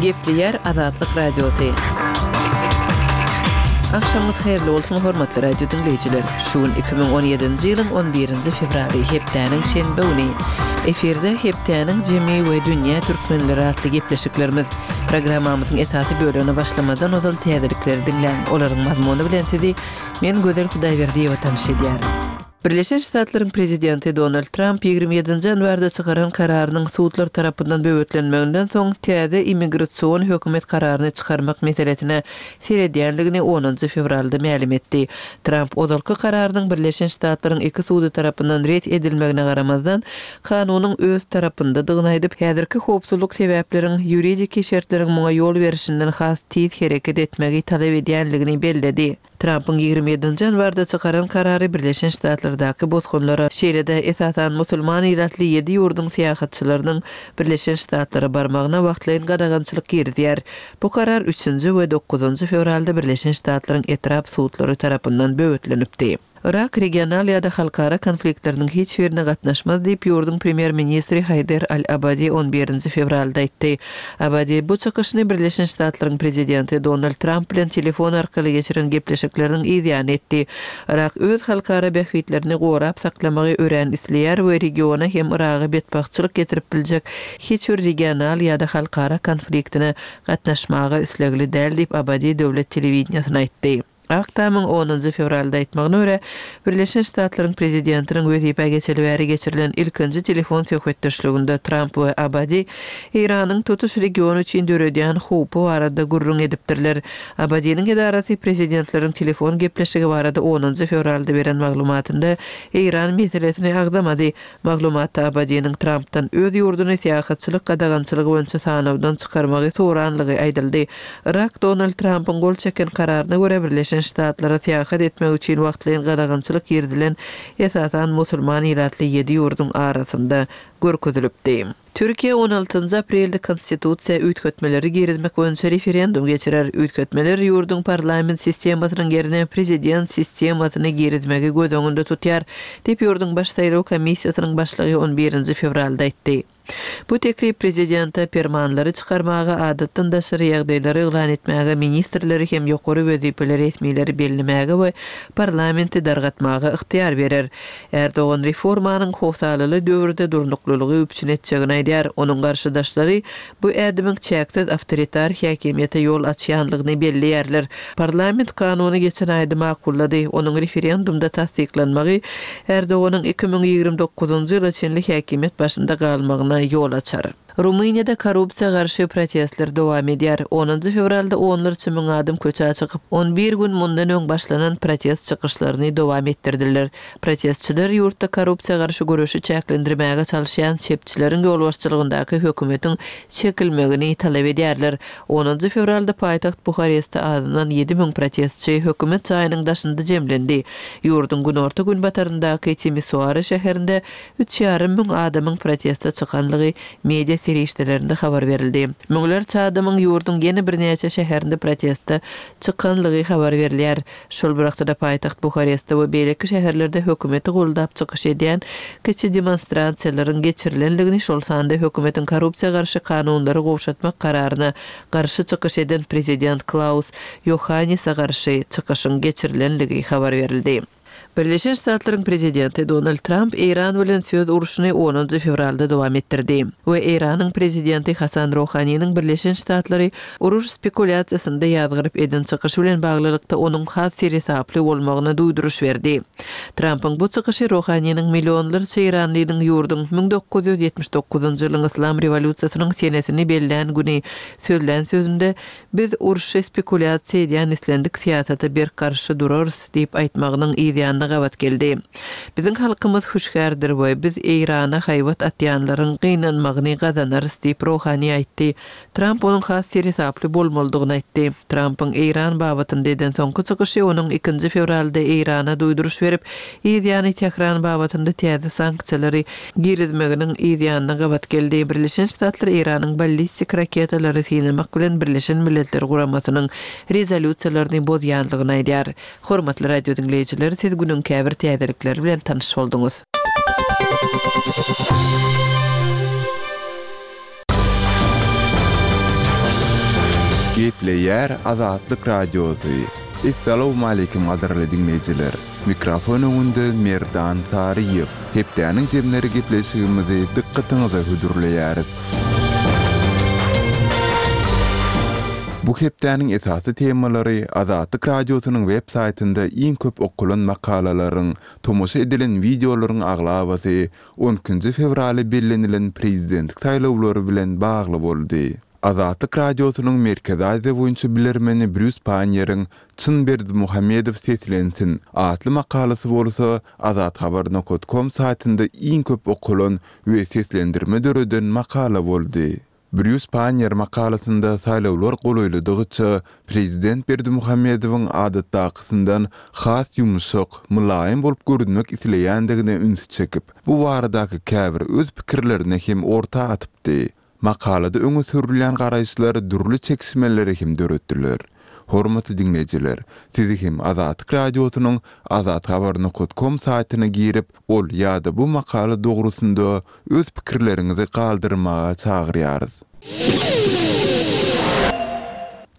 Gepleýär Azatlyk Radiosy. Agşamyňyz haýyrly bolsun, hormatly radio diňleýjiler! Şu gün 2017-nji ýylyň on birinji fewraly, hepdäniň şenbe güni. Efirde Hepdäniň jemi we Dünýä türkmenleri atly gepleşiklerimiz. Programmamyzyň esasy bölegine başlamazdan ozal täzelikleri diňläň. Olaryň mazmuny bilen sizi men Gözel Hudaýberdiýewa tanyş edýärin. Birleşen Ştatlaryň prezidenti Donald Tramp 27-nji ýanwarda çykaran kararynyň sudlar tarapyndan böwetlenmeginden soň täze immigrasion hökümet kararyny çykarmak meselesine seredýänligini onunjy fewralda mälim etdi. Tramp ozalky kararynyň Birleşen Ştatlaryň iki sudy tarapyndan ret edilmegine garamazdan, kanunyň öz tarapyndadygyny aýdyp, häzirki howpsuzlyk sebäpleriň ýuridiki şertleriň muňa ýol berişinden has tiz hereket etmegi talap edýänligini belledi. Trampyň 27-nji ýanwarda çykaran karary Birleşen Ştatlardaky bosgunlara, şeýle-de, esasan, musulman ilatly ýedi ýurduň syýahatçylarynyň Birleşen Ştatlara barmagyna wagtlaýyn gadagançylyk girizýär. Bu karar üçünji we dokuzynjy fewralda Birleşen Ştatlaryň etrap sudlary tarapyndan böwetlenipdi. Yrak regional ýa-da halkara konfliktleriniň hiç birine gatnaşmaz diýip, ýurduň premýer-ministri Haýder al-Abadi on birinji fewralda aýtdy. Abadi bu çykyşyny Birleşen Ştatlaryň prezidenti Donald Tramp bilen telefon arkaly geçiren gepleşikleriniň yz ýany etdi. Yrak öz halkara bähbitlerini gorap saklamagy örän isleýär we regiona hem Yraga betbagtçylyk getirip biljek hiç bir regional ýa-da halkara konfliktine gatnaşmaga islegli däl diýip, Abadi döwlet telewideniýesine aýtdy. Ak Tamyň onunjy fewralda aýtmagyna görä, Birleşen Ştatlaryň prezidentiniň wezipä geçeli bäri geçirilen ilkinji telefon söhbetdeşliginde Tramp we Abadi Eýranyň tutuş region üçin döredýän howpy barada gürrüň edipdirler. Abadiniň edarasy prezidentleriň telefon gepleşigi barada onunjy fewralda beren maglumatynda Eýran meselesini agzamady. Maglumatda Abadiniň Trampdan öz ýurduny syýahatçylyk gadagançylygy boýunça sanawdan çykarmagy soranlygy aýdyldy. Yrak Donald Trampyň gol çeken kararyna görä Birleşen Ştatlara syýahat etmek üçin wagtlaýyn gadagançylyk girizilen esasan musulman ilatly ýedi ýurduň arasynda görkezilipdi. Türkiýe on altynjy aprelde konstitusiýa üýtgetmeleri girizmek boýunça referendum geçirer. Üýtgetmeler ýurduň parlament sistemasynyň ýerine prezident sistemasyny girizmegi göz öňünde tutýar, diýip, ýurduň Baş saýlaw komissiýasynyň başlygy on birinji fewralda aýtdy. Bu teklip prezidente permanlary çykarmaga, adatdan daşary ýagdaýlary yglan etmäge, ministrleri hem ýokary wezipeli resmileri bellemäge we parlamenti dargatmaga ygtyýar berer. Erdogan reformanyň howsalaly döwürde durnuklylygy üpjün etjegini aýdýar. Onuň garşydaşlary bu ädimiň çäksiz awtoritar häkimiýete ýol açýanlygyny belleýärler. Parlament kanuny geçen aýda makullady. Onuň referendumda tassyklanmagy Erdoganyň 2029-njy ýyla çenli häkimiýet başynda galmagyna ýol açar. Rumyniýada korrupsiýa garşy protestler dowam edýär. Onunjy fewralda onlarça müň adam köçä çykyp, on bir gün mundan öň başlanan protest çykyşlaryny dowam etdirdiler. Protestçiler ýurtda korrupsiýa garşy göreşi çäklendirmäge çalyşýan çepçileriň ýolbaşçylygyndaky hökümetiň çekilmegini talap edýärler. Onunjy fewralda paýtagt Buharestde azyndan 7000 protestçi hökümet jaýynyň daşynda jemlendi. Ýurduň günorta-günbataryndaky Timisoara şäherinde Üç ýarym müň adamyň proteste çykanlygy media serişdelerinde habar berildi. Müňlerçe adamyň ýurduň ýene birnäçe şäherinde proteste çykanlygy habar berilýär. Şol bir wagtda-da paýtagt Buharestde we beýleki şäherlerde hökümeti goldap çykyş edýän kiçi demonstrasiýalaryň geçirilenligini, şol sanda hökümetiň korrupsiýa garşy kanunlary gowşatmak kararyna garşy çykyş eden prezident Klaus Ýohannise garşy çykyşyň geçirilenligi habar berildi. Birleşen Ştatlaryň prezidenti Donald Tramp Eýran bilen söz urşuny onunjy fewralda dowam etdirdi we Eýranyň prezidenti Hasan Rohaniniň Birleşen Ştatlary uruş spekulýasiýasynda ýazgaryp eden çykyşy bilen baglylykda onuň has seresaply bolmagyna duýduryş berdi. Trampyň bu çykyşy Rohaniniň millionlarça eýranlynyň ýurduň 1979-njy ýylyň Yslam rewolýusiýasynyň senesini bellän güni sözlän sözünde Biz urşy spekulýasiýa edýän islendik syýasata berk garşy durarys diýip aýtmagynyň yz ýanyna gabat geldi. Biziň halkymyz hüşgärdir we biz Eýrana haýbat atýanlaryň gynanmagyny gazanarys diýip Rohani aýtdy. Tramp onuň has seresaply bolmalydygyny aýtdy. Trampyň Eýran babatynda eden soňky çykyşy onuň ikinji fewralda Eýrana duýduryş berip, yz ýany Tähran babatynda täze sanksiýalary girizmeginiň yz ýanyna gabat geldi. Birleşen Ştatlar Eýranyň ballistik raketalary synamak bilen Birleşen Milletler Guramasynyň rezolýusiýalaryny bozýandygyny aýdýar. Hormatly radio diňleýjiler, siz günüň käbir täzelikleri bilen tanyş bolduňyz. Gepleýär Azatlyk Radiosy. Essalawmaleýkim gadyrly diňleýjiler! Mikrofon öňünde Merdan Saryýew. Hepdäniň jemleri gepleşigimizi dykgatyňyza hödürleýäris. Bu hepdäniň esasy temalary Azatlyk Radiosynyň web saýtynda iň köp okalan makalalaryň, tomaşa edilen wideolaryň aglabasy on ikinji fewraly bellenilen prezidentlik saýlawlary bilen bagly boldy. Azatlyk Radiosynyň Merkezi Aziýa boýunça bilermeni Brýus Panniýeriň Çyn Berdimuhamedow seslensin! atly makalasy bolsa Azathabar nokat kom saýtynda iň köp okalan we seslendirme döreden makala boldy. Brýus Panniýer makalasynda saýlawlar golaýladygyça prezident Berdimuhamedowyň adatdakysyndan has ýumşak, mylaýym bolup görünmek isleýändigine ünsi çekip, bu baradaky käbir öz pikirlerini hem orta atypdy. Makalada öňe sürülýän garaýyşlar dürli çekişmeleri hem döretdiler. Hormatly diňleýjiler, sizi hem Azatlyk Radiosynyň azathabar nokat kom saýtyna girip, ol ýa-da bu makala dogrusynda öz pikirleriňizi galdyrmaga çagyrýarys.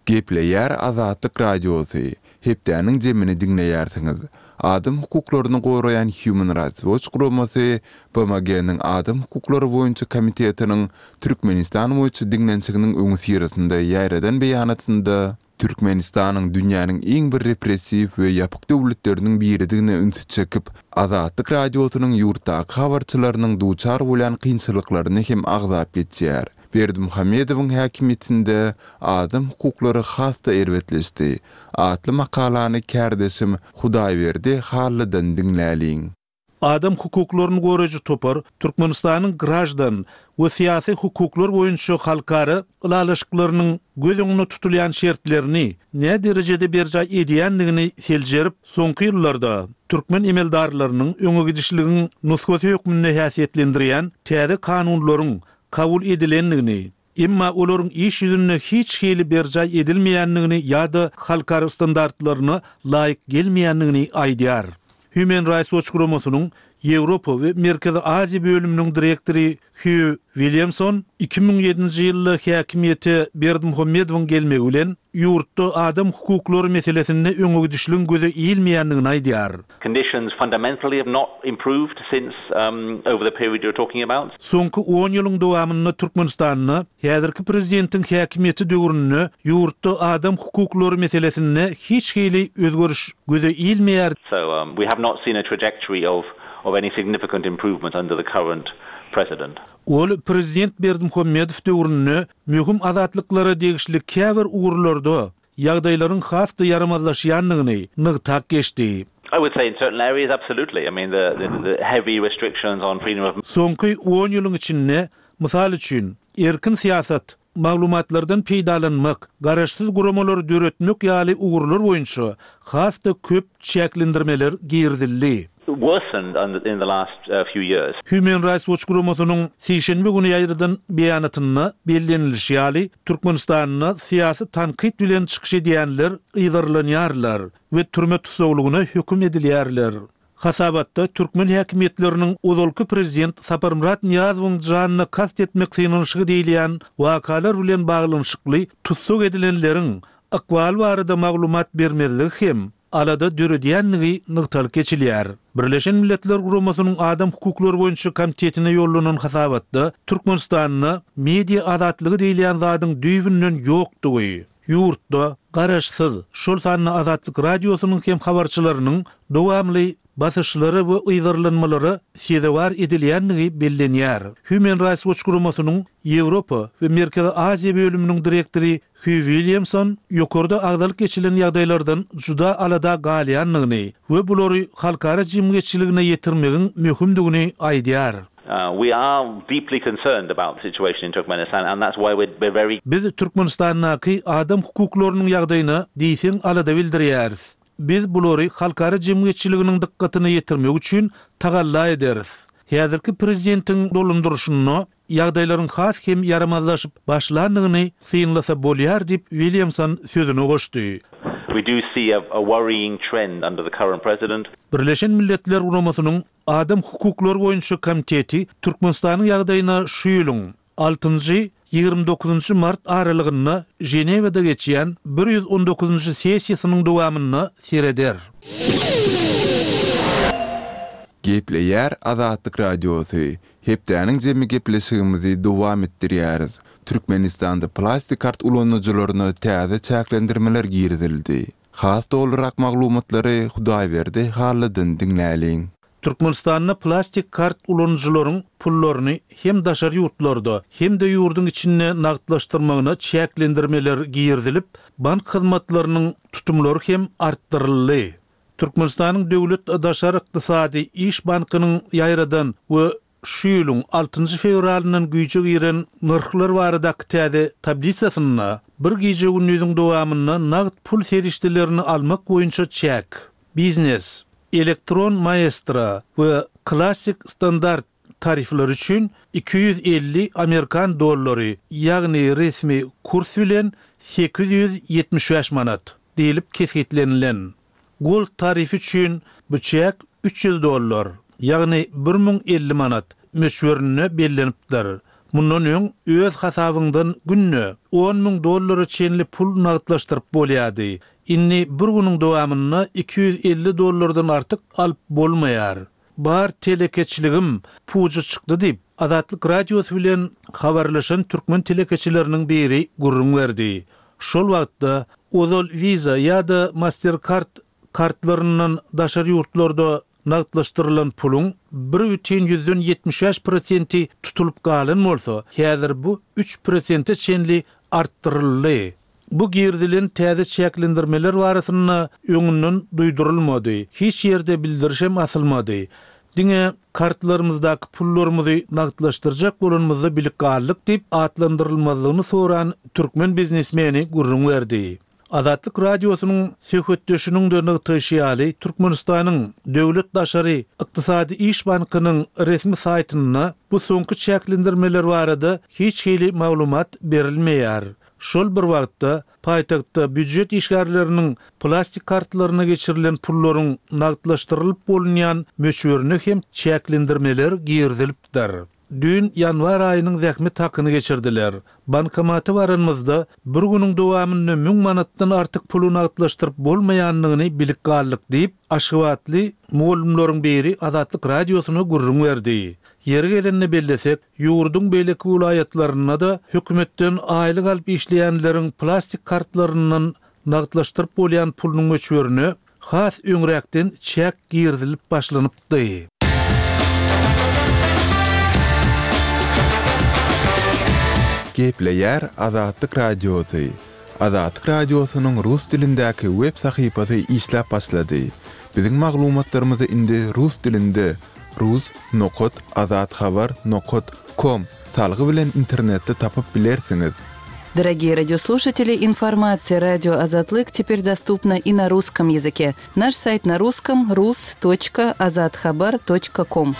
Gepleýär Azatlyk Radiosy, Hepdäniň jemini diňleýärsiňiz. Adam hukuklaryny goraýan Human Rights Watch guramasy BMG-niň Adam hukuklary boýunça komitetiniň Türkmenistan boýunça diňlenişiginiň öňüsyrasynda ýaýradan beýanatynda Türkmenistanyň dünýäniň iň bir repressiw we ýapyk döwletleriniň biridigine ünsi çekip, Azatlyk Radiosynyň ýurtdaky habarçylarynyň duçar bolýan kynçylyklaryny hem agzap geçýär. Berdimuhamedowyň häkimiýetinde adam hukuklary has-da erbetleşdi atly makalany kärdeşim Hudaýberdi Hallydan diňläliň. Adam hukuklaryny goraýjy topar Türkmenistanyň graždan we syýasy hukuklar boýunça halkara ylalaşyklarynyň göz öňünde tutulýan şertlerini näderejede berjaý edýändigini seljerip, soňky ýyllarda türkmen emeldarlarynyň öňegidişligiň nusgasy hökmünde häsiýetlendirýän täze kanunlaryň kabul edilendigini, emma olaryň iş ýüzünde hiç hili berjaý edilmeýändigini ýa-da halkara standartlaryna laýyk gelmeýändigini aýdýar. Human Rights Watch guramasynyň Ýewropa we Merkezi Aziýa bölüminiň direktory Hýu Williamson 2007-nji ýylda häkimiýete Berdimuhamedowyň gelmegi bilen ýurtda adam hukuklary meselesinde öňegidişligiň göze ilmeýändigini aýdýar. Conditions fundamentally have not improved since over the period you're talking about. Soňky on ýylyň dowamynda Türkmenistanda häzirki prezidentiň häkimiýeti döwründe ýurtda adam hukuklary meselesinde hiç hili özgeriş göze ilmeýär. So we have not seen a trajectory of of any significant improvement under the current president. Ol prezident Berdimuhamedow döwründe möhüm azatlyklara degişli käbir ugurlarda ýagdaýlaryň has-da ýaramazlaşýandygyny nygtap geçdi. I would say in certain areas absolutely. I mean the the heavy restrictions on freedom of. Soňky on ýylyň içinde, mysal üçin, erkin syýasat, maglumatlardan peýdalanmak, garaşsyz guramalary döretmek ýaly ugurlar boýunça has-da köp çäklendirmeler girizildi. Worsened in the last few years. Human Rights Watch guramasynyň sişenbe güni ýaýradan beýanatynda bellenilişi ýaly, Türkmenistanda syýasy tankyt bilen çykyş edýänler yzarlanýarlar we türme tussaglygyna höküm edilýärler. Hasabatda türkmen häkimiýetleriniň ozalky prezident Saparmyrat Nyýazowyň janyna kast etmek synanyşygy diýilýän wakalar bilen baglanyşykly tussag edilenleriň ykbaly barada maglumat bermezligi hem alada döredýändigi nygtalyp geçilýär. Birleşen Milletler Guramasynyň Adam hukuklary boýunça komitetine ýollanan hasabatda Türkmenistanda media azatlygy diýilýän zadyň düýbünden ýokdugy, ýurtda garaşsyz, şol sanda Azatlyk Radiosynyň hem habarçylarynyň dowamly basyşlara we yzarlanmalara sezewar edilýändigi bellenýär. Human Rights Watch guramasynyň Ýewropa we Merkezi Aziýa bölüminiň direktory Hýu Williamson ýokarda agzalyp geçilen ýagdaýlardan juda alada galýandygyny we bulary halkara jemgyýetçiligine ýetirmegiň möhümdigini aýdýar. We are deeply concerned about the situation in Turkmenistan and that's why we're very. Biz Türkmenistandaky adam hukuklarynyň ýagdaýyna diýseň alada bildirýäris. Biz bulary halkara jemgyýetçiliginiň dykgatyna ýetirmek üçin tagalla ederis. Häzirki prezidentiň dolandyryşynda ýagdaýlaryň has hem ýaramazlaşyp başlandygyny synlasa bolýar diýip, Williamson sözüne goşdy. We do see a worrying trend under the current president. Birleşen Milletler Guramasynyň Adam hukuklary boýunça komiteti Türkmenistanyň ýagdaýyna şu ýylyň altynjy. 29 mart aralygynda Ženewada geçýän 119-njy sessiýasynyň dowamynda sereder. Gepleýär Azatlyk Radiosy, Hepdäniň jemi gepleşigimizi dowam etdirýäris. Türkmenistanda plastik kart ulanyjylaryna täze çäklendirmeler girizildi. Has dolurak maglumatlary Hudaýberdi Hallydan diňläliň. Türkmenistanda plastik kart ulanyjylaryň pullaryny hem daşary ýurtlarda, hem-de ýurduň içinde nagtlaşdyrmagyna çäklendirmeler girizilip, bank hyzmatlarynyň tutumlary hem artdyryldy. Türkmenistanyň Döwlet daşary ykdysady iş bankynyň ýaýradan we şu ýylyň altynjy fewralyndan güýje giren nyrhlar baradaky täze tablisasynda bir gije-gündiziň dowamynda nagt pul serişdelerini almak boýunça çäk, biznes, elektron maestro we klassyk standart tarifleri üçin 250 amerikan dollary, ýagny resmi kurs bilen 875 manat. Diýlip kesgitlenilen. Gold tarifi üçin bu çäk 300 dollar, ýagny 1050 manat, möçberinde bellenipdir. Mundan öň öz hasabyňdan günde 10 000 dollara çenli pul nagtlaşdyryp bolýardy. Indi bir günüň dowamynda 250 dollardan artyk alyp bolmaýar. Bar telekeçiligim puja çykdy diýip, Azatlyk Radiosy bilen habarlaşan türkmen telekeçileriniň biri gürrüň berdi. Şol wagtda, ozal Visa ýa-da Mastercard kartlaryndan daşary ýurtlarda nagtlaşdyrylan puluň bir bütin ýüzden 75 prosenti tutulyp galan bolsa, häzir bu üç prosente çenli artdyryldy. Bu girizilen täze çäklendirmeler barasynda öňünden duýdurylmady, hiç ýerde bildirişem asylmady. Diňe kartlarymyzdaky pullarymyzy nagtlaşdyrjak bolanymyzda bilip galdyk diýip, atlandyrylmazlygyny soran türkmen biznesmeni gürrüň berdi. Azatlyk Radiosynyň söhbetdeşiniň-de nygtaýşy ýaly, Türkmenistanyň Döwlet daşary ykdysady iş bankynyň resmi saýtynda bu soňky çäklendirmeler barada hiç hili maglumat berilmeýär. Şol bir wagtda, paýtagtda býujet işgärleriniň plastik kartlaryna geçirilen pullaryň nagtlaşdyrylyp bolunýan möçberine hem çäklendirmeler girizilipdir. Düýn ýanwar aýynyň zähmet hakyny geçirdiler. Bankomata baranymyzda, bir günüň dowamynda müň manatdan artyk puly nagtlaşdyryp bolmaýandygyny bilip galdyk diýip, aşgabatly mugallymlaryň biri Azatlyk Radiosyna gürrüň berdi. Ýeri gelende bellesek, Ýurduň beýleki welaýatlarynda-da hökümetden aýlyk alyp işleýänleriň plastik kartlaryndan nagtlaşdyryp bolýan pulunyň möçberine has öňräkden çäk girizilip başlanypdy. Gepleýär Azatlyk Radiosy, Azatlyk Radiosynyň rus dilindäki web sahypasy işläp başlady. Biziň maglumatlarymyzy indi rus dilinde rus nokat azathabar nokat kom salgy bilen internetde tapyp bilersiňiz. Дорогие радиослушатели, информация радио Азатлык теперь доступна и на русском языке. Наш сайт на русском rus.azathabar.com.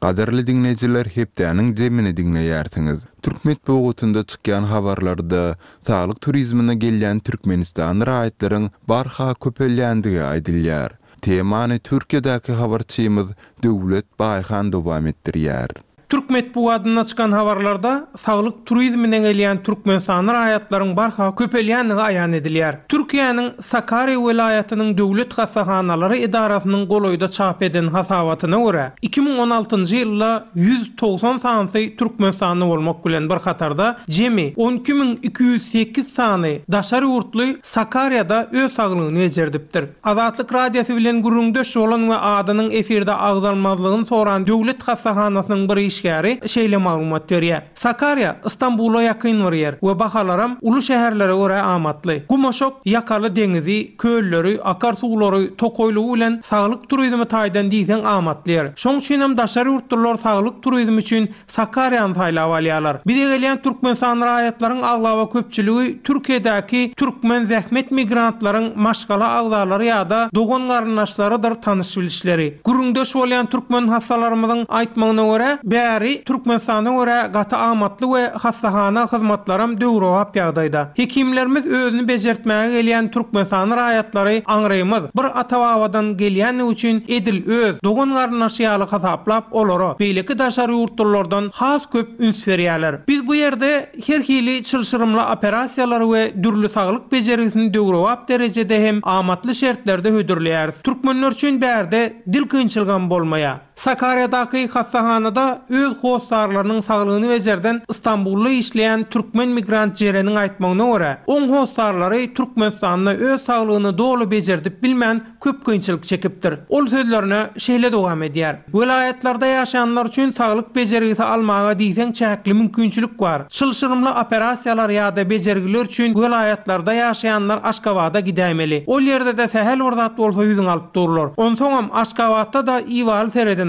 Gadyrly diňleýjiler hepdäniň jemini diňleýärsiňiz. Türk metbugatynda çykýan habarlarda saglyk turizmine gelýän türkmenistanly raýatlaryň barha köpelýändigi aýdylýar. Temany Türkiýedäki habarçymyz Döwlet Baýhan dowam etdirýär. Türk metbugatynda çykan habarlarda saglyk turizmine gelýän türkmenistanly raýatlaryň barha köpelýändigi aýan edilýär. Türkiýäniň Sakarýa welaýatynyň döwlet hassahanalary edarasynyň golaýda çap eden hasabatyna görä, 2016-njy ýylda 190 sanysy türkmenistanly bolmak bilen bir hatarda, jemi 12 208 sany daşary ýurtly Sakarýada öz saglygyny bejerdipdir. Azatlyk Radiosy bilen gürrüňdeş bolan we adynyň efirde agzalmazlygyny soran döwlet hassahanasynyň bir işgäri şeýle maglumat berýär, Sakarýa Stambula ýakyn bir ýer we bahalaram uly şäherlere görä amatly. Gumaşak ýakaly deňizi, kölleri, akar suwlary, tokaýlygy bilen saglyk turizmi taýdan diýseň amatly ýer. Şoň üçinem daşary ýurtlular saglyk turizmi üçin Sakarýany saýlap alýarlar. Bize gelýän türkmenistanly raýatlaryň aglaba köpçüligi Türkiýedäki türkmen zähmet migrantlaryň maşgala agzalary ýa-da dogan-garyndaşlarydyr tanyş-bilişleri. Gürrüňdeş bolýan türkmen hassalarymyzyň aýtmagyna görä, bärde. Bäri Türkmenistana görä gaty amatly we hassahana hyzmatlaram döwrebap ýagdaýda. Hekimlerimiz özüni bejertmäge gelýän türkmenistanly raýatlary aňrymyz bir ata-babadan gelýändigi üçin edil öz dogan-garyndaşy ýaly hasaplap olara beýleki daşary ýurtlulardan has köp üns berýärler. Biz bu ýerde her hili çylşyrymly operasiýalary we dürli saglyk bejergisini döwrebap derejede hem amatly şertlerde hödürleýäris. Türkmenler üçin bärde dil kynçylygam bolmaýar. Sakarýadaky hassahanada öz hossarlarynyň saglygyny bejerden Stambulda işleýän türkmen migrant Jereniň aýtmagyna görä, oň hossarlary Türkmenistanda öz saglygyny doly bejerdip bilmän köp kynçylyk çekipdir. Ol sözlerine şeýle dowam edýär, Welaýatlarda ýaşaýanlar üçin saglyk bejergisi almaga diýseň çäkli mümkinçilik bar. Çylşyrymly operasiýalar ýa-da bejergiler üçin welaýatlarda ýaşaýanlar Aşgabada gidäýmeli. Ol ýerde-de sähel bir zat bolsa ýüzüňi alyp durlar. Onsoňam Aşgabatda-da ibaly seredenoklar.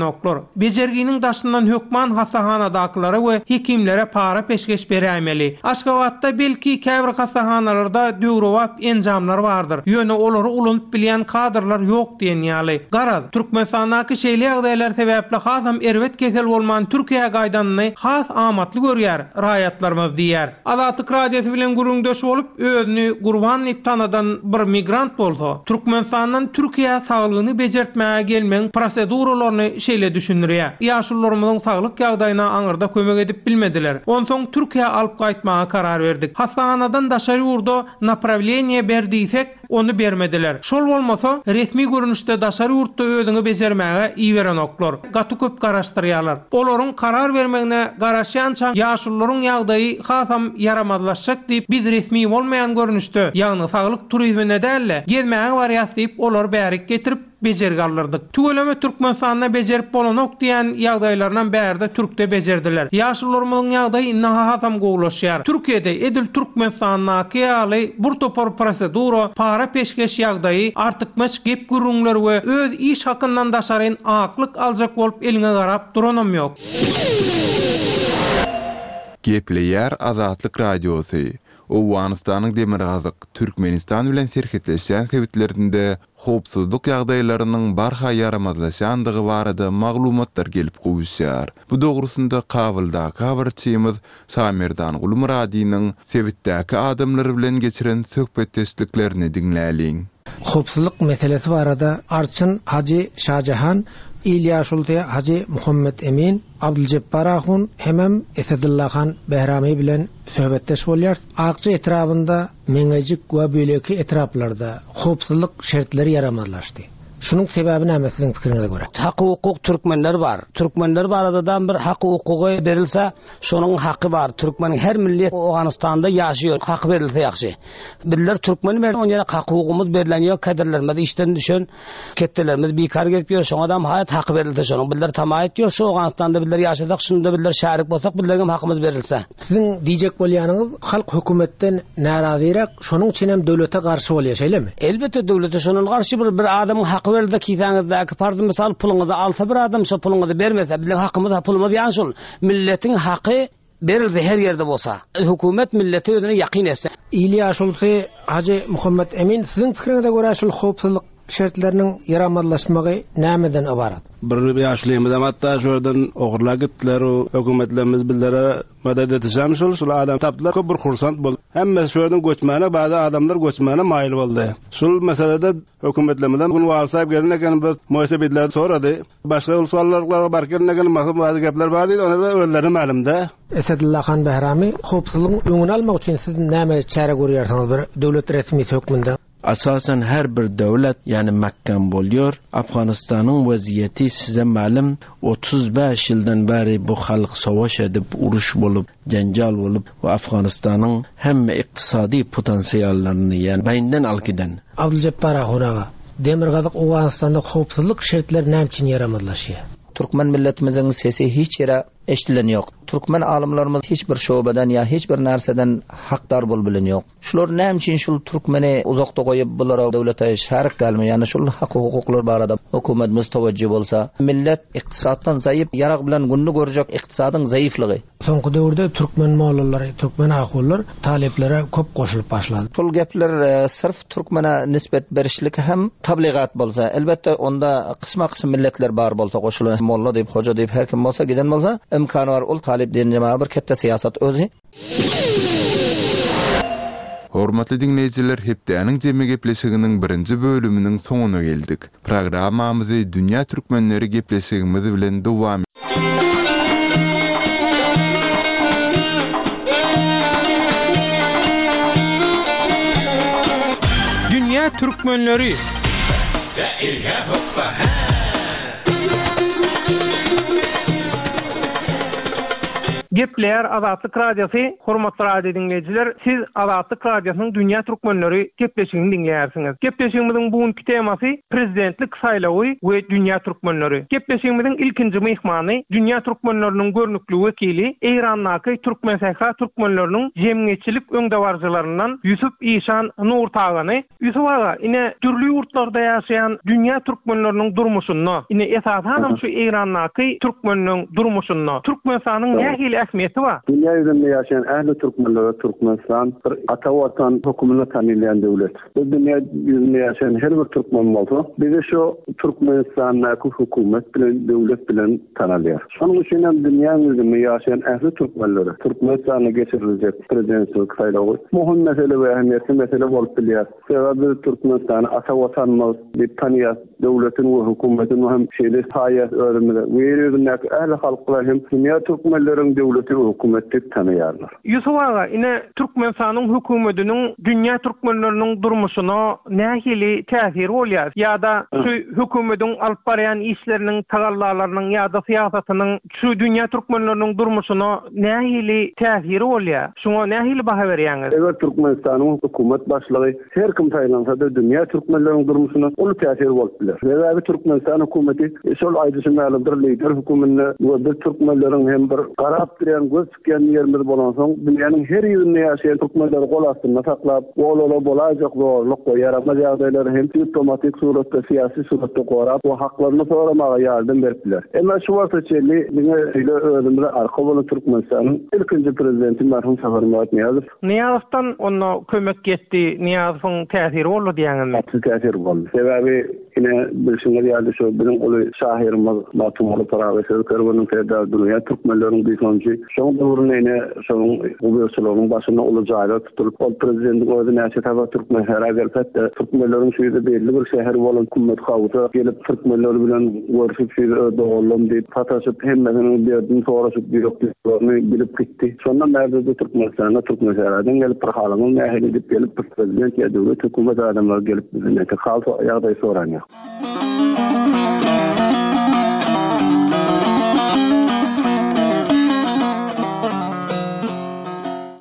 Bejerginiň daşyndan hökman hassahanadakylara we hekimlere para-peşgeş beräýmeli. Aşgabatda belki käbir hassahanalarda döwrebap enjamlar bardyr, ýöne olary ulanyp bilýän kadrlar ýok diýen ýaly. Garaz, Türkmenistandaky şeýle ýagdaýlar sebäpli hasam erbet kesel bolman Türkiýä gaýdanyny has amatly görýär raýatlarymyz diýýär. Azatlyk Radiosy bilen gürrüňdeş bolup, özüni Gurban diýip tanadan bir migrant bolsa, Türkmenistandan Türkiýä saglygyny bejertmäge gelmegiň proseduralaryny şeýle düşündirýär, Ýaşulularymyzyň saglyk ýagdaýyna aňyrda kömek edip bilmediler. Onsoň Türkiýä alyp gaýtmaga karar berdik. Hassahanadan daşary ýurda naprawleniýe ber diýsek, Ony bermediler. Şol bolmasa, resmi görnüşde daşary ýurtda özüňi bejermäge iberenoklar. Gaty köp garaşdyrýarlar. Olaryň karar bermegine garaşýançaň ýaşulularyň ýagdaýy hasam ýaramazlaşjak diýip, biz resmi bolmaýan görnüşde, ýagny saglyk turizmine däl-de, gezmäge barýas diýip, olary bärik getirip, bejergi aldyrdyk. Tüweleme Türkmenistanda bejerip bolanok diýän ýagdaýlarynam bärde Türkde bejerdiler. Ýaşulularymyzyň ýagdaýy indi hasam gowulaşýar. Türkiýede edil Türkmenistandaky ýaly bir topar prosedura, para peşgeş ýagdaýy, artykmaç gep gürrüňler we öz iş hakyndan daşaryn aklyk aljak bolup eliňe garap duranam ýok. Gepleýär Azatlyk Radiosy, Owganystanyň demirgazyk, Türkmenistan bilen serhetleşýän sebitlerinde howpsuzlyk ýagdaýlarynyň barha ýaramazlaşýandygy barada maglumatlar gelip gowuşýar. Bu dogrusynda Kabuldaky habarçymyz Şamerdan Gulmyradynyň sebitdäki adamlar bilen geçiren söhbetdeşliklerini diňläliň. Howpsuzlyk meselesi barada arçyn Hajy Şajahan, il ýaşulusy Hajy Muhammet Emin, Abdyljepbar ahun hemem Esedullahan Behrami bilen söhbetdeş bolýarys. Akja etrabynda Meňejik we beýleki etraplarda howpsuzlyk şertleri ýaramazlaşdy. Şunuň sebäbi näme siziň pikiriňize görä? Haky-hukuk türkmenler bar. Türkmenler baradadam bir haky-hukugy berilse, şonuň haky bar. Türkmeniň her millet Owganystanda ýaşaýar, haky berilse ýagşy. Bizler türkmen ber, on ýere haky-hukugymyz berlen ýok, kaderlerimiz işden düşen, ketdelerimiz bikar gezip ýör, şoňadam haýat haky berilse şonuň. Bizler tama etýär, şu Owganystanda bizler ýaşasak, şunda bizler şärik bolsak, bizleriňem hakymyz berilse. Siziň diýjek bolýanyňyz halk hökümetden närazyrak şonuň üçinem döwlete garşy bolýar şeýlemi? Elbetde döwlete şondan garşy bir bir adamyň haky berilse kisäňizdäki parzy mysal puluňyzy alsa bir adam şo puluňyzy bermese biziň hakymyz pulumyz ýan şol milletiň haky berilse her ýerde bolsa hökümet milleti özüne ýakyn etse. Il ýaşulusy Hajy Muhammet Emin siziň pikiriňize görä şul howpsuzlyk şertleriniň ýaramazlaşmagy nämeden ybarat? Bir ýaşulymyzam hatda şu ýerden ogurlap gitdiler. O hökümetlerimiz bizlere medet etişem şul, şul adam tapdylar, köp bir hursant boldy. Hemmesi şu ýerden göçmäne, bäzi adamlar göçmäne maýyl boldy. Şul meselede hökümetlerimizem gün walsaýyp gelen eken, bir moýsebidler sorady. Başga ulsuallarlara baryp gelen eken, maksat bäzi gepler bar diýdi, ony özlerine mälimdä. Esedullahan Behrami, Howpsuzlygyň öňüni almak üçin siz näme çäre görýärsiňiz bir döwlet resmisi hökmünde? Asasan her bir döwlet ýani mäkgem bolýar. Afganystanyň weziýeti size mälim, 35 ýyldan bäri bu halk savaş edip, uruş bolup, jenjal bolup we Afganystanyň hemme ykdysady potensiallaryny ýani beýinden alyp giden. Abdyljepbar ahun aga, Demirgazyk Owganystanda howpsuzlyk şertleri näme üçin ýaramazlaşýar? Türkmen milletimiziň sesi hiç ýere eşdilen ýok. Türkmen alymlarymyz hiç bir şobeden ýa hiç bir närseden hakdar bolup bilen ýok. Şular näme üçin şul türkmeni uzakda goýup bulara döwlete şärik dälmi ýagny şul hak hukuklar barada hökümetimiz towejji bolsa millet ykdysatdan zaýyp ýarag bilen gününi görjek ykdysadyň zaýyflygy. Soňky döwürde türkmen mollalary, türkmen ahunlar talyplara köp goşulyp başlady. Şol gepler syrf türkmene nisbet berişlik hem tabligat bolsa, elbetde onda kysma kysym milletler bar bolsa goşulan molla diýip hoja diýip her kim bolsa giden bolsa. imkany bar ol talyp diýen jemaga bir ketde syýasat özi. Hormatly diňleýjiler hepdäniň jemi gepleşiginiň birinji bölüminiň soňuna geldik. Programmamyzy Dünýä Türkmenleri gepleşigimiz bilen dowam. Dünýä Türkmenleri! Gepleýär Azatlyk Radiosy, Hormatly radio diňleýjiler, siz Azatlyk Radiosynyň Dünýä Türkmenleri gepleşigini diňleýärsiňiz. Gepleşigimiziň bu günki temasy Prezidentlik saýlawy we dünýä türkmenleri. Gepleşigimiziň ilkinji myhmany dünýä türkmenleriniň görnükli wekili, Eýrandaky Türkmensähra türkmenleriniň jemgyýetçilik öňdebaryjylaryndan Ýusup Işan Nurtagany, Ýusup aga, ine, dürli ýurtlarda ýaşaýan dünýä türkmenleriniň durmuşynda, ine, esasanam şu Eýrandaky türkmenleň durmuşynda Türkmenistanyň nähili ähmiýeti bar? Dünýä ýüzünde ýaşaýan ähli türkmenlere Türkmenistan bir ata Watan höküminde tanylýan döwlet. Biz dünýä ýüzünde ýaşaýan her bir türkmen bolsa, bizi şu Türkmenistandaky hökümet bilen, döwlet bilen tanalýar. Şonuň üçin hem dünýäň ýüzünde ýaşaýan ähli türkmenlere Türkmenistanda geçiriljek prezidentçilik saýlawy möhüm mesele we ähmiýetli mesele bolup bilýär. Sebäbi biz Türkmenistany ata Watanymyz diýip tanýas, döwletini we hökümetini hem şeýle saýýas özümize we ýer ýüzündäki ähli halklar hem dünýä türkmenleriň döwleti we hökümeti diýip tanaýarlar. Ýusup aga, ine, Türkmenistanyň hökümetiniň dünýä türkmenleriniň durmuşyna nähili täsiri bolýar? Ýa-da şu hökümediň alyp barýan işleriniň, tagallalarynyň ýa-da syýasatynyň şu dünýä türkmenleriniň durmuşyna nähili täsiri bolýar? Şuňa nähili baha berýäňiz? Eger Türkmenistanyň hökümet başlygy her kim saýlansa-da dünýä türkmenleriniň durmuşyna uly täsiri bolup biler. Sebäbi Türkmenistan hökümeti şol aýdyşym ýaly bir lider höküminde we biz türkmenleriň hem bir garap durýan göz Çykýan ýerimiz bolansoň, dünýäniň her ýerinde ýaşaýan türkmenleri gol astynda saklap, olara bolaýjak zorluk we ýaramaz ýagdaýlary hem diplomatik suratda, syýasy suratda gorap we haklaryny soramaga ýardam berip biler. Emma şu wagta çenli diňe şeýle özümize arka bolan Türkmenistanyň ilkinji prezidenti merhum Saparmyrat Nyýazow, Nyýazowdan onda kömek ýetdi, Nyýazowyň täsiri boldy diýýäňizmi? Gaty täsiri boldy. Sebäbi Ine, bilşiňiz ýaly, şu biziň uly şahyrymyz Magtymguly Pyragy söz kerweniniň serdary, dünýä türkmenleriniň buýsanjy. Şoň döwründe ine, şonuň guberçiliginiň başynda uly jaýlar tutulyp, ol prezidentiň özi näçe sapar Türkmensähra gelip, hatda türkmenleriň şu ýerde belli bir şäheri bolan Kümmetgawusa gelip, türkmenler bilen görşüp, şu ýerde öz doganlarym diýip, sataşyp, hemmesiniň derdini soraşyp, ýürek duýgularyny bilip gitdi. Şondan bärde-de Türkmenistanda Türkmensähradan gelip, bir halyňyz nähili diýip gelip, bir prezident ýa döwlet, hökümet adamlary gelip, Bizden hal ýagdaý soran ýok.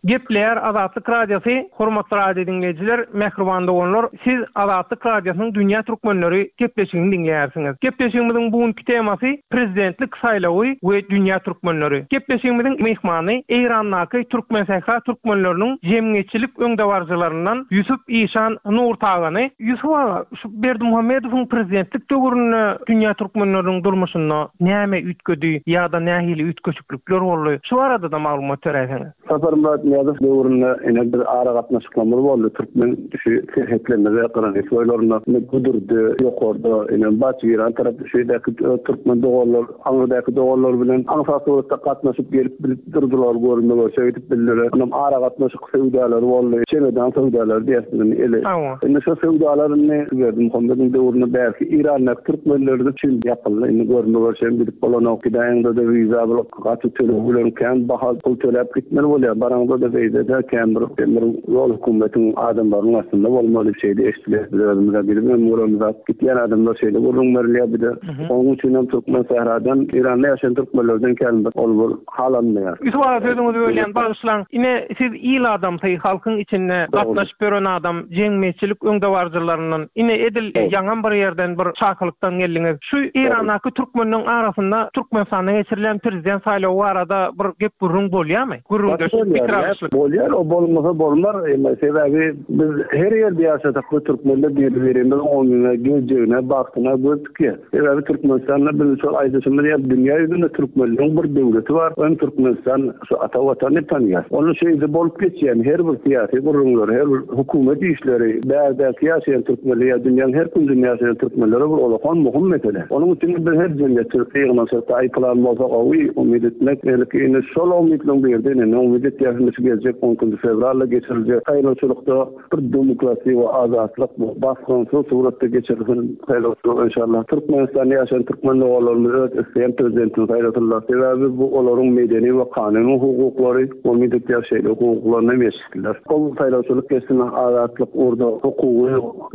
Gepleýär Azatlyk Radiosy, Hormatly radio diňleýjiler, mähriban doganlar, siz Azatlyk Radiosynyň Dünýä Türkmenleri gepleşigini diňleýärsiňiz. Gepleşigimiziň bu günki temasy Prezidentlik saýlawy we dünýä türkmenleri. Gepleşigimiziň myhmany Eýrandaky Türkmensähra türkmenleriniň jemgyýetçilik öňdebaryjylaryndan Ýusup Işan Nurtagany. Ýusup aga, şu Berdimuhamedowyň prezidentlik döwründe dünýä türkmenleriniň durmuşynda näme üýtgedi ýa-da nähili üýtgeşiklikler boldy? Şu barada-da maglumat beräýseňiz. Saparmyrat Nyýazow döwründe ine bir aragatnaşyklarymyz boldy türkmen şu serhetlerimize granis boýlarynda ine Gudurdy ýokarda ine Baçgiran tarap şu ýerdäki türkmen doganlar aňyrdaky doganlar bilen aňsat suratda gatnaşyp gelip bilip durdular görünme görşe gidip bildiler. Onam aragatnaşyk söwdalary boldy çemedan söwdalary diýýäs biz indi ele. Indi şo söwdalar indi Berdimuhamedowyň döwründe bärki Irandaky türkmenler üçin ýapyldy indi görünme görşe gidip bolanok gidäýeňde-de wiza bul Gaty töleg bilen kän baha pul töläp gitmeli bolýar. Baraňda-da beýle-de kän bir bir ýol hökümetiň adamlarynyň astynda bolmaly şeýle eşidilýär. Biz özümiz-ä bilibem göremizok. Gitýän adamlar şeýle gürrüň berilýär bize. Onuň üçin hem türkmen sähradan Eýranda ýaşaýan türkmenlerden kän bir ol bir halanmaýar. Ýusup aga sözüňizi bölýän bagyşlaň. Ine siz il adamsy halkyň içinde gatnaşyp ýören adam jemgyýetçilik öňdebaryjylaryndan ine edil ýaňam bir ýerden bir çakylykdan geldiňiz. Şu Eýrandaky türkmenleň arasynda Türkmenistanda geçirilýän prezident saýlawy barada bir gep-gürrüň bolýarmy? Gürrüňdeşlik, pikir alyşma. söhbetdeşlik. Bolýar, o bolmasa bolmar, emma sebäbi biz her ýerde ýaşasak da türkmenler biri-birimiziň oňuna, geljegine, bagtyna göz dikýär. Sebäbi Türkmenistanda biz şol aýdyşymyz ýaly dünýä ýüzünde türkmenleriň bir döwleti bar, o hem Türkmenistan şu ata watany tanýar. Onda şeýle bolup geçýän her bir syýasy gürrüňler, her bir hökümet işleri bärdäki ýaşaýan türkmenler ýa dünýäň her künjünde ýaşaýan türkmenlere bir ulakan möhüm mesele. Onuň üçin biz her jemgyýetçilikde ýygnanyşykda aý pylan bolsa gowy umyt etmek belki indi şol umytlaryň birde indi umyt etýäris şu geljek on ikinji fewralda geçiriljek saýlawçylykda bir demokratiýa we azatlyk bu basgynsyz suratda geçirilsin saýlawçylyk enşallah. Türkmenistanda ýaşaýan türkmen doganlarymyz öz isleýän prezidentini saýlasynlar. Sebäbi bu olaryň medeni we kanuny hukuklary umyt etýäris şeýle hukuklaryna hem ýetişsinler. Ol saýlawçylyk geçsin azatlyk ugurda hukugy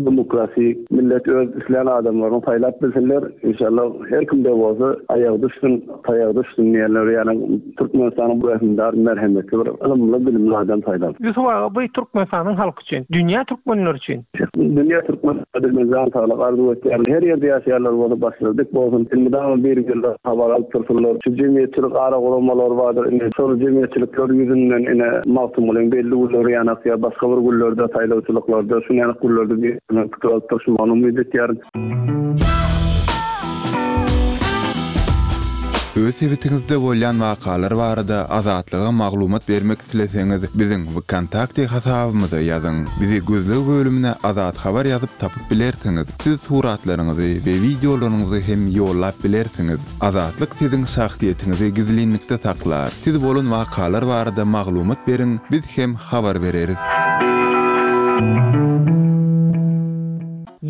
demokrasi millet öz islän adamlaryny saýlap bilsinler enşallah her kimde bolsa aýagy düşsün taýagy düşsün diýenler ýaly Türkmenistanyň bu rehimdar, merhemetli bir ylymly, bilimli adam saýlan. Ýusup aga bu Türkmenistanyň halky üçin, dünýä türkmenleri üçin. Dünýä türkmenlerine men jan saglyk arzuw etýärin. Her ýerde ýaşaýanlar bolsa başlary dik bolsun. Elmydama bir-birlerine habar alyp dursunlar. Şu jemgyýetçilik ara guramalary bardyr ine şol jemgyýetçilikler ýüzünden ine Magtymgulyň belli günleri ýanak ýa başga bir günlerde saýlawçylyklarda şuny ýanak günlerde bir-birine pikir alyp durşmagyny umyt etýärin. Öz sebitiňizde bolýan wakalar barada Azatlyga maglumat bermek isleseňiz, biziň Wkontakte hasabymyza ýazyň. Bizi gözleg bölümine Azat Habar ýazyp tapyp bilersiňiz. Siz suratlaryňyzy we wideolaryňyzy hem ýollap bilersiňiz. Azatlyk siziň şahsyýetiňizi gizlinlikde saklar. Siz bolan wakalar barada maglumat beriň, biz hem habar bereris.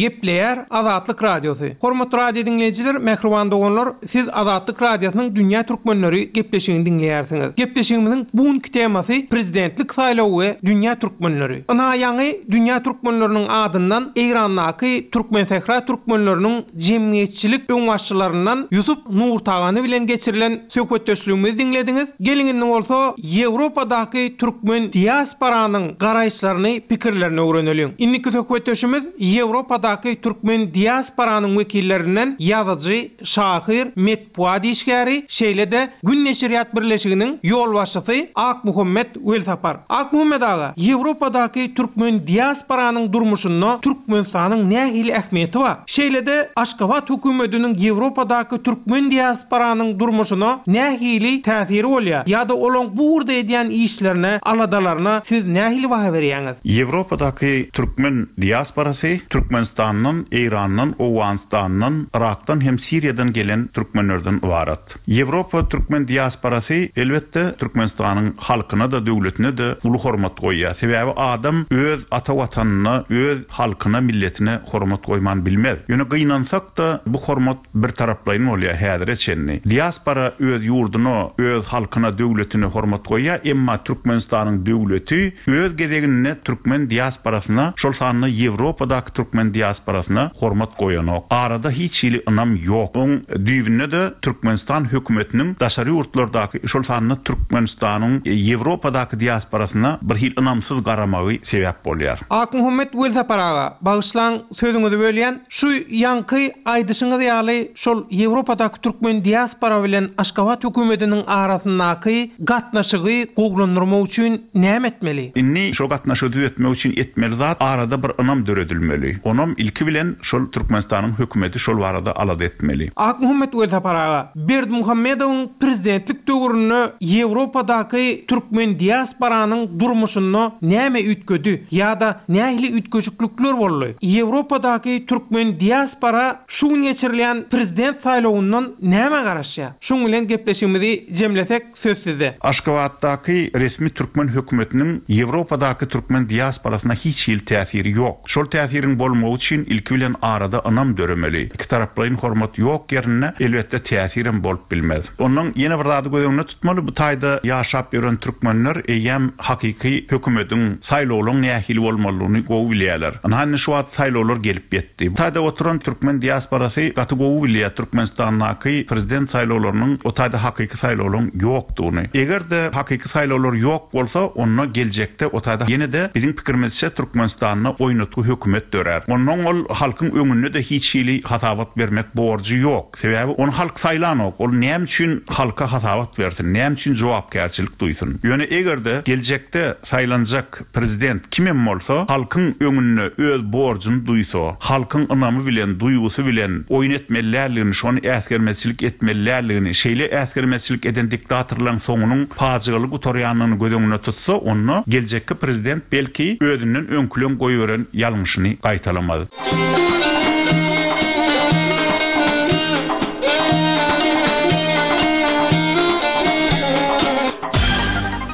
Gepleýär Azatlyk Radiosy. Hormatly radio diňleýjiler, mähriban doganlar, siz Azatlyk Radiosynyň Dünýä Türkmenleri gepleşigini diňleýärsiňiz. Gepleşigimiziň bu günki temasy Prezidentlik saýlawy we dünýä türkmenleri. Ynha ýaňy dünýä türkmenleriniň adyndan Eýrandaky Türkmensähra türkmenleriniň jemgyýetçilik öňbaşçylaryndan Ýusup Nurtagany bilen geçirilen Söhbetdeşligimizi diňlediňiz. Geliň indi bolsa Ýewropadaky türkmen diasporanyň garaýyşlaryny, pikirlerini öwreneliň. Indiki söhbetdeşimiz Ýewropadaky türkmen diasporanyň wekillerinden ýazyjy, şahyr, metbugat işgäri, şeýle-de Gün neşirýat birleşiginiň ýolbaşçysy Akmuhammet Welsapar. Akmuhammet aga, Ýewropadaky türkmen diasporanyň durmuşynda Türkmenistanyň nähili ähmiýeti bar? Şeýle-de Aşgabat hökümetiniň Ýewropadaky türkmen diasporanyň durmuşyna nähili täsiri bolýar ýa-da olaň bu ugurda edýän işlerine, aladalaryna siz nähili baha berýäňiz? Ýewropadaky türkmen diasporasy Türkmenistandan, Eýrandan, Owganystandan, Yrakdan hem Siriýadan gelen türkmenlerden ybarat. Ýewropa türkmen diasporasy, elbetde, Türkmenistanyň halkyna-da, döwletine-de uly hormat goýýar. Sebäbi adam öz ata Watanyna, öz halkyna, milletine hormat goýman bilmez. Ýöne gynansak-da, bu hormat birtaraplaýyn bolýar häzire çenli. Diaspora öz ýurduna, öz halkyna, döwletine hormat goýýar, emma Türkmenistanyň döwleti öz gezeginde türkmen diasporasyna, şol sanda Ýewropadaky türkmen diasporasyna hormat goýanok. Arada hiç hili ynam ýok. Oň düýbünde-de Türkmenistan hökümetiniň daşary ýurtlardaky, şol sanda Türkmenistanyň Ýewropadaky diasporasyna bir hili ynamsyz garamagy sebäp bolýar. Akmuhammet Welsapar aga, bagyşlaň sözüňizi bölýän, şu ýaňky aýdyşyňyz ýaly şol Ýewropadaky türkmen diaspora bilen Aşgabat hökümetiniň arasyndaky gatnaşygy gowulandyrmak üçin näme etmeli? Indi şol gatnaşygy düzetmek üçin etmeli zat arada bir ynam döredilmeli. Onam ilki bilen şol Türkmenistanyň hökümeti şol barada alada etmeli. Akmuhammet Welsapar aga, Berdimuhamedowyň prezidentlik döwründe Ýewropadaky türkmen diasporanyň durmuşynda näme üýtgedi ýa-da nähili üýtgeşiklikler boldy? Ýewropadaky türkmen diaspora şu gün geçirilýän prezident saýlawyndan nämä garaşýar? Şuň bilen gepleşigimizi jemlesek, söz sizde. Aşgabatdaky resmi türkmen hökümetiniň Ýewropadaky türkmen diasporasyna hiç hili täsiri ýok. Şol täsiriň bolmagy üçin ilki bilen arada ynam döremeli. Ikitaraplaýyn hormat ýok ýerinde elbetde täsirem bolup bilmez. Ondan ýene bir zady göz öňünde tutmaly, bu taýda ýaşap ýören türkmenler eýýäm hakyky hökümediň, saýlawlaň nähili bolmalydygyny gowy bilýärler. Ynha indi şu wagt saýlawlar gelip ýetdi. Bu taýda oturan türkmen diasporasy gaty gowy bilýär Türkmenistandaky prezident saýlawlarynyň o taýda hakyky saýlawlaň ýokdugyny. Eger-de hakyky saýlawlar ýok bolsa, onda geljekde o taýda ýene-de biziň pikirimizçe Türkmenistanda oýnatgy hökümet dörär. Onnoň. Onuň ol halkyň öňünde-de hiç hili hasabat bermek borjy ýok. Sebäbi ony halk saýlanok. Ol näme üçin halka hasabat bersin, näme üçin jogapkärçilik duýsun? Ýöne eger-de geljekde saýlanjak prezident kimem bolsa, halkyň öňünde öz borjuny duýsa, halkyň ynamy bilen, duýgusy bilen oýun etmeli däldigini, şony äsgermezçilik etmeli däldigini, şeýle äsgermezçilik eden diktatorlaryň soňunyň pajygaly gutarýandygyny göz öňünde tutsa, onda geljekki prezident belki özünden öňküleň goýberen ýalňyşyny gaýtalamaz.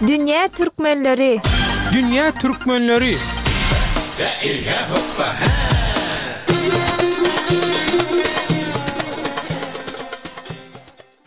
Dünýä türkmenleri! Dünýä türkmenleri!